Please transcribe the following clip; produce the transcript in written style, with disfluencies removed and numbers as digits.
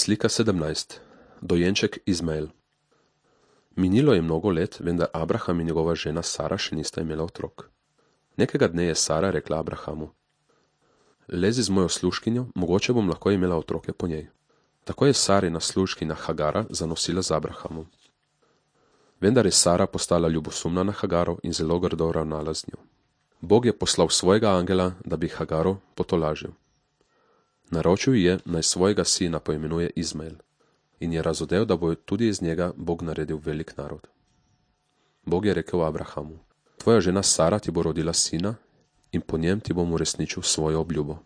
Slika 17. Dojenček Izmael. Minilo je mnogo let, vendar Abraham in njegova žena Sara še nista imela otrok. Nekega dne je Sara rekla Abrahamu: Lezi z mojo služkinjo, mogoče bom lahko imela otroke po njej. Tako je Sarina služkinja Hagara zanosila z Abrahamom. Vendar je Sara postala ljubosumna na Hagaro in zelo grdo ravnala z njo. Bog je poslal svojega angela, da bi Hagaro potolažil. Naročil ji je, naj svojega sina poimenuje Izmael, in je razodel, da bo tudi iz njega Bog naredil velik narod. Bog je rekel Abrahamu: Tvoja žena Sara ti bo rodila sina in po njem ti bom uresničil svojo obljubo.